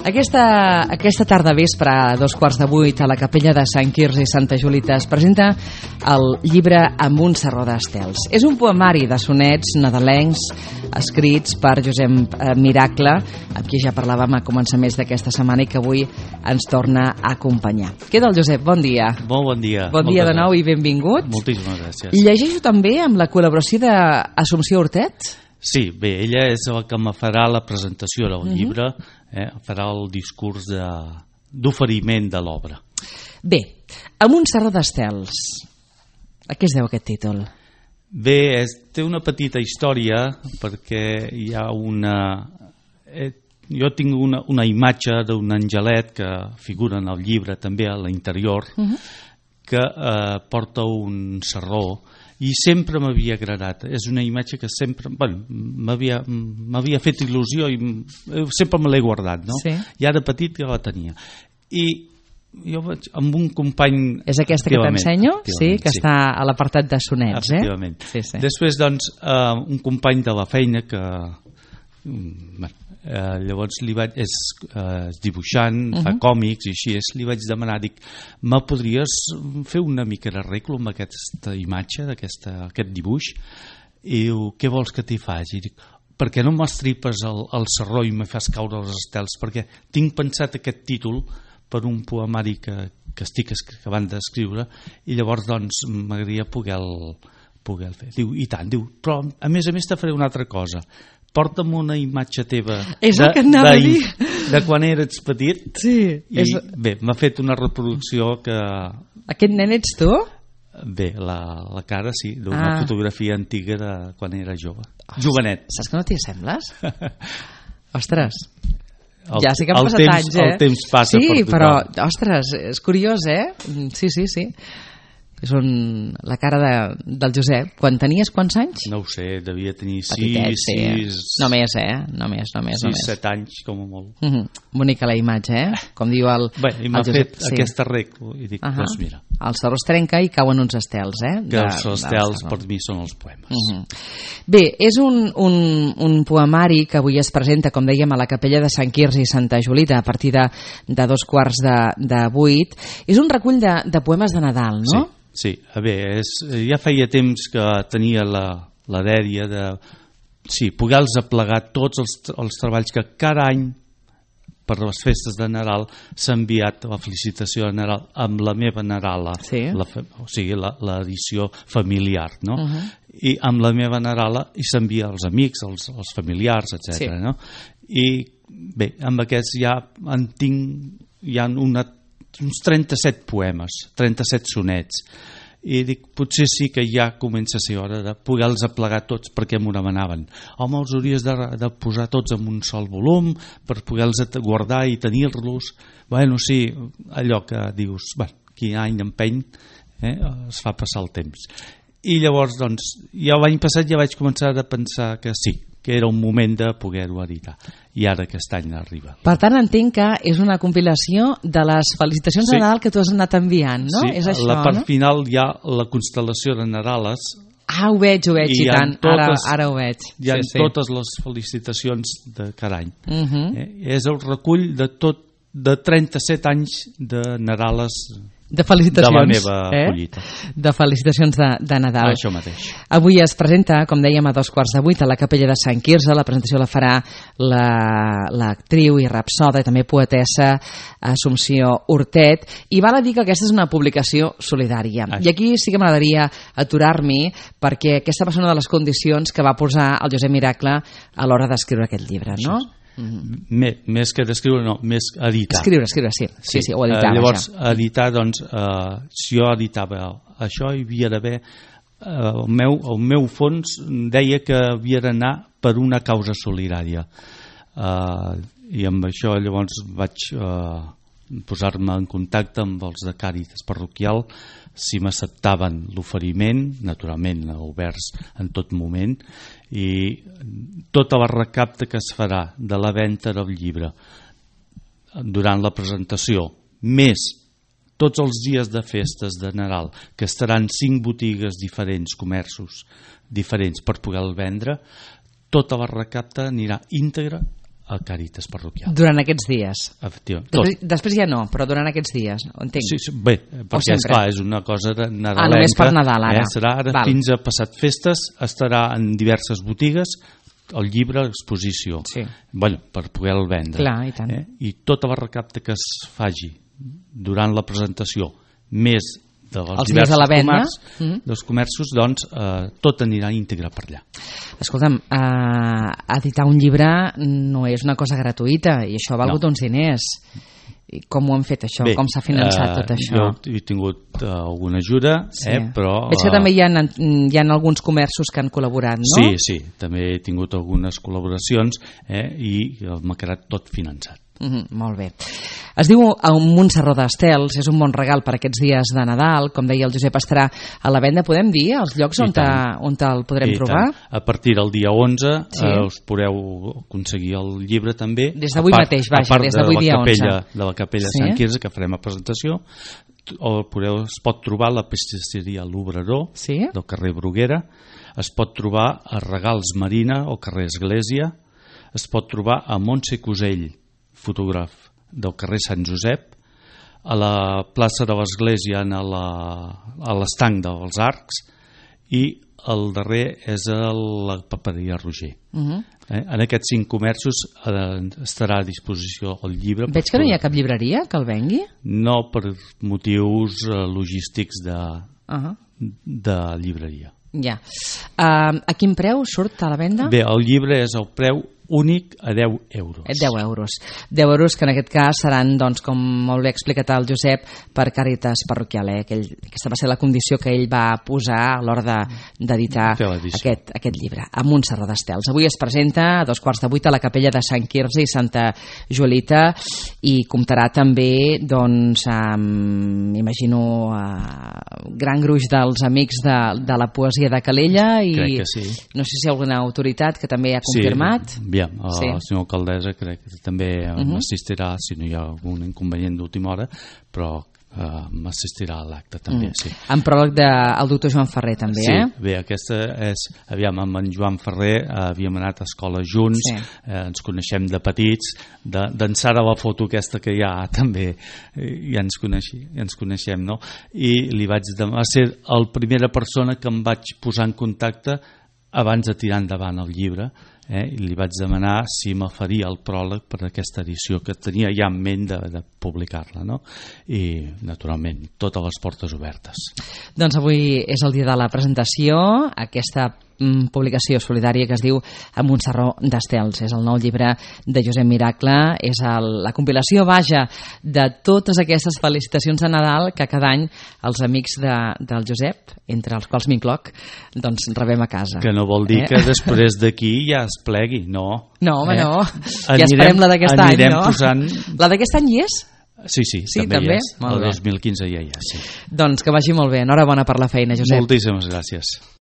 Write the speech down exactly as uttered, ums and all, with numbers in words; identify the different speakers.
Speaker 1: Aquesta, aquesta tarda vespre, a dos quarts de vuit, a la capella de Sant Quirze i Santa Julita, es presenta el llibre Amb un sarró d'estels. És un poemari de sonets nadalencs escrits per Josep Miracle, amb qui ja parlàvem a començaments d'aquesta setmana i que avui ens torna a acompanyar. Què tal, Josep? Bon dia.
Speaker 2: Molt bon dia.
Speaker 1: Bon dia de nou i benvingut.
Speaker 2: Moltíssimes gràcies.
Speaker 1: I llegeixo també amb la col·laboració d'Assumpció Hortet?
Speaker 2: Sí, bé, ella és la que me farà la presentació del uh-huh. llibre, eh, farà el discurs d'oferiment de, de l'obra.
Speaker 1: Bé, Amb un sarró d'estels. A què es deu aquest títol?
Speaker 2: Bé, és, té una petita història perquè hi ha una... Eh, jo tinc una, una imatge d'un angelet que figura en el llibre també a l'interior, uh-huh. que eh, porta un sarró i sempre m'havia agradat. És una imatge que sempre bueno, m'havia fet il·lusió i sempre me l'he guardat, no?
Speaker 1: Sí.
Speaker 2: I ara petit ja la tenia. I jo vaig amb un company...
Speaker 1: És aquesta que t'ensenyo? Sí, que
Speaker 2: sí.
Speaker 1: està a l'apartat de sonets, eh?
Speaker 2: Efectivament.
Speaker 1: Sí, sí.
Speaker 2: Després, doncs, uh, un company de la feina que... Bueno, uh, llavors li vaig... És, uh, és dibuixant, uh-huh. fa còmics i així és, li vaig demanar, dic, me podries fer una mica d'arreglo amb aquesta imatge, d'aquest dibuix? I diu, què vols que t'hi faci? I dic, per què no m'estripes el, el sarró i me fas caure els estels? Perquè tinc pensat aquest títol per un poemari que, que estic acabant d'escriure i llavors doncs m'agradaria poder el, poder el fer. Diu, i tant, diu, però a més a més te faré una altra cosa. Porta'm una imatge teva
Speaker 1: és
Speaker 2: de,
Speaker 1: el que anava
Speaker 2: de,
Speaker 1: a dir.
Speaker 2: de quan eres petit.
Speaker 1: Sí.
Speaker 2: I
Speaker 1: és...
Speaker 2: bé, m'ha fet una reproducció que...
Speaker 1: Aquest nen ets tu?
Speaker 2: Bé, la, la cara sí, d'una ah. fotografia antiga de quan era jove. Ostres, jovenet.
Speaker 1: Saps que no t'hi assembles? Ostres,
Speaker 2: el,
Speaker 1: ja sí que han passat
Speaker 2: temps,
Speaker 1: anys, eh?
Speaker 2: El temps passa
Speaker 1: sí,
Speaker 2: per tothom.
Speaker 1: però, ostres, és curiós, eh? Sí, sí, sí. És un, la cara de, del Josep. Quan tenies quants anys?
Speaker 2: No ho sé, devia tenir
Speaker 1: Petitet,
Speaker 2: sis,
Speaker 1: sí.
Speaker 2: sis...
Speaker 1: No més, eh? No més, no més.
Speaker 2: sis, set anys, com a molt.
Speaker 1: Uh -huh. Bonica la imatge, eh? Com diu el,
Speaker 2: Bé, i m'ha
Speaker 1: el Josep.
Speaker 2: fet sí. aquest arreglo i dic, uh -huh. doncs mira.
Speaker 1: El sarró es trenca i cauen uns estels, eh?
Speaker 2: Que de, els estels per mi són els poemes.
Speaker 1: Uh -huh. Bé, és un, un, un poemari que avui es presenta, com dèiem, a la capella de Sant Quirze i Santa Julita a partir de, de dos quarts de, de vuit. És un recull de, de poemes de Nadal, no?
Speaker 2: Sí. Sí, a veure, és, ja feia temps que tenia la, la dèria de sí, poder-los aplegar tots els, els treballs que cada any per les festes de Nadal s'ha enviat la felicitació de Nadal amb la meva Nadala,
Speaker 1: sí.
Speaker 2: la, o sigui, l'edició familiar, no?
Speaker 1: Uh -huh.
Speaker 2: I amb la meva Nadala i s'envia als amics, als, als familiars, etcètera. Sí. No? I bé, amb aquests ja en tinc, hi ha una uns trenta-set poemes, trenta-set sonets, i dic, potser sí que ja comença a ser hora de poder-los aplegar tots perquè m'ho demanaven. Home, els hauries de, de posar tots en un sol volum per poder-los guardar i tenir-los. Bueno, sí, allò que dius, bueno, quin any empeny, eh, es fa passar el temps. I llavors, doncs, ja l'any passat ja vaig començar a pensar que sí, que era un moment de poder-ho editar. I ara aquest any arriba.
Speaker 1: Per tant, entenc que és una compilació de les felicitacions sí. de Nadal que tu has anat enviant, no?
Speaker 2: Sí,
Speaker 1: és això,
Speaker 2: la part
Speaker 1: no?
Speaker 2: final hi ha la constel·lació de Nadales.
Speaker 1: Ah, ho veig, ho veig, i, i tant. Totes, ara, ara ho veig.
Speaker 2: Hi ha
Speaker 1: sí, sí.
Speaker 2: totes les felicitacions de cada any.
Speaker 1: Uh -huh.
Speaker 2: eh? És el recull de tot de trenta-set anys de Nadales
Speaker 1: de felicitacions,
Speaker 2: de la meva
Speaker 1: eh?
Speaker 2: collita.
Speaker 1: De felicitacions de, de Nadal.
Speaker 2: Això mateix.
Speaker 1: Avui es presenta, com dèiem, a dos quarts de vuit a la capella de Sant Quirze. La presentació la farà l'actriu i rapsoda i també poetessa Assumpció Hortet. I val a dir que aquesta és una publicació solidària. Ai. I aquí sí que m'agradaria aturar-m'hi perquè aquesta va ser una de les condicions que va posar el Josep Miracle a l'hora d'escriure aquest llibre, no?
Speaker 2: Això. Mm-hmm. Més que d'escriure, no, més editar.
Speaker 1: Escriure, escriure, sí. Sí, sí, sí ho editava,
Speaker 2: uh, llavors,
Speaker 1: ja.
Speaker 2: editar, doncs, uh, si jo editava això, hi havia d'haver uh, el, meu, el meu fons deia que havia d'anar per una causa solidària. Uh, I amb això llavors vaig uh, posar-me en contacte amb els de Càritas Parroquial si m'acceptaven l'oferiment, naturalment oberts en tot moment, i tota la recapta que es farà de la venda del llibre durant la presentació, més tots els dies de festes de Nadal, que estaran cinc botigues diferents, comerços diferents per poder-el vendre, tota la recapta anirà íntegra a Càritas Parroquial.
Speaker 1: Durant aquests dies?
Speaker 2: Efectivament.
Speaker 1: Després, després ja no, però durant aquests dies, entenc.
Speaker 2: Sí, sí, bé, perquè esclar, és una cosa de nadalenca.
Speaker 1: Ah, només per Nadal, ara.
Speaker 2: Eh? Serà ara
Speaker 1: Val.
Speaker 2: fins a passat festes, estarà en diverses botigues, el llibre a exposició.
Speaker 1: Sí.
Speaker 2: Bueno, per poder-lo vendre.
Speaker 1: Clar, i tant.
Speaker 2: Eh? I tota la recapta que es faci durant la presentació, més dels
Speaker 1: Els dies de la venda,
Speaker 2: comerç, mm. dels comerços, doncs eh, tot anirà íntegre per allà.
Speaker 1: Escolta'm, eh, editar un llibre no és una cosa gratuïta i això ha valgut no. uns diners. I com ho han fet això?
Speaker 2: Bé,
Speaker 1: com s'ha finançat
Speaker 2: eh,
Speaker 1: tot això?
Speaker 2: Jo he tingut uh, alguna ajuda, sí. eh, però...
Speaker 1: Veig que uh, també hi ha, hi ha alguns comerços que han col·laborat, no?
Speaker 2: Sí, sí, també he tingut algunes col·laboracions eh, i m'ha quedat tot finançat.
Speaker 1: Mm -hmm, molt bé. Es diu un Montserró d'Estels, és un bon regal per aquests dies de Nadal, com deia el Josep, estarà a la venda, podem dir, els llocs on, ta, on te'l podrem I trobar?
Speaker 2: Tant. A partir del dia onze sí. eh, us podreu aconseguir el llibre també.
Speaker 1: Des d'avui mateix, vaja, des d'avui dia
Speaker 2: capella,
Speaker 1: onze.
Speaker 2: De la capella
Speaker 1: sí?
Speaker 2: de Sant Quirze, que farem a presentació, o podeu, es pot trobar a la pastisseria L'Obrador,
Speaker 1: sí?
Speaker 2: del carrer Bruguera, es pot trobar a Regals Marina, o carrer Església, es pot trobar a Montse Cusell, fotògraf del carrer Sant Josep, a la plaça de l'Església, a l'estanc dels Arcs, i el darrer és a la paperia Roger. Uh -huh. eh? En aquests cinc comerços eh, estarà a disposició el llibre.
Speaker 1: Veig que no hi ha cap llibreria que el vengui?
Speaker 2: No, per motius eh, logístics de, uh -huh. de llibreria.
Speaker 1: Ja. Uh, a quin preu surt a la venda?
Speaker 2: Bé, el llibre és el preu únic a deu euros.
Speaker 1: deu euros. deu euros que en aquest cas seran, doncs, com molt bé ha explicat el Josep, per Càritas Parroquial. Eh? Aquell, aquesta va ser la condició que ell va posar a l'hora d'editar aquest, aquest llibre, a Montserrat d'Estels. Avui es presenta a dos quarts de vuit a la capella de Sant Quirze i Santa Joelita i comptarà també, doncs, amb, imagino, uh, gran gruix dels amics de, de la poesia de Calella i
Speaker 2: crec que sí.
Speaker 1: No sé si hi ha alguna autoritat que també ha confirmat.
Speaker 2: Sí. Aviam, sí. El senyor alcaldessa crec que també uh-huh. m'assistirà, si no hi ha algun inconvenient d'última hora, però uh, m'assistirà a l'acte també, mm. sí.
Speaker 1: En pròleg del doctor Joan Ferrer també,
Speaker 2: sí,
Speaker 1: eh?
Speaker 2: Sí, bé, aquesta és, aviam, amb en Joan Ferrer eh, havíem anat a escola junts, sí. eh, ens coneixem de petits, d'ençà de, de la foto aquesta que hi ha també, eh, ja ens, coneixi, ja ens coneixem, no? I li vaig demanar, va ser la primera persona que em vaig posar en contacte abans de tirar endavant el llibre, eh, i li vaig demanar si me faria el pròleg per aquesta edició que tenia ja en ment de, de publicar-la, no? I naturalment totes les portes obertes.
Speaker 1: Doncs avui és el dia de la presentació, aquesta mm, publicació solidària que es diu A Montserró d'Estels. És el nou llibre de Josep Miracle, és el, la compilació, vaja, de totes aquestes felicitacions de Nadal que cada any els amics de, del Josep, entre els quals m'incloc, doncs rebem a casa.
Speaker 2: Que no vol dir eh? que després d'aquí ja es plegui, no.
Speaker 1: No, home, eh? no.
Speaker 2: Anirem,
Speaker 1: ja esperem la d'aquest any, no?
Speaker 2: Posant...
Speaker 1: La d'aquest any hi és?
Speaker 2: Sí, sí,
Speaker 1: sí
Speaker 2: també,
Speaker 1: també?
Speaker 2: Hi és. El dos mil quinze ja hi és, sí.
Speaker 1: Doncs que vagi molt bé. Enhorabona per la feina, Josep.
Speaker 2: Moltíssimes gràcies.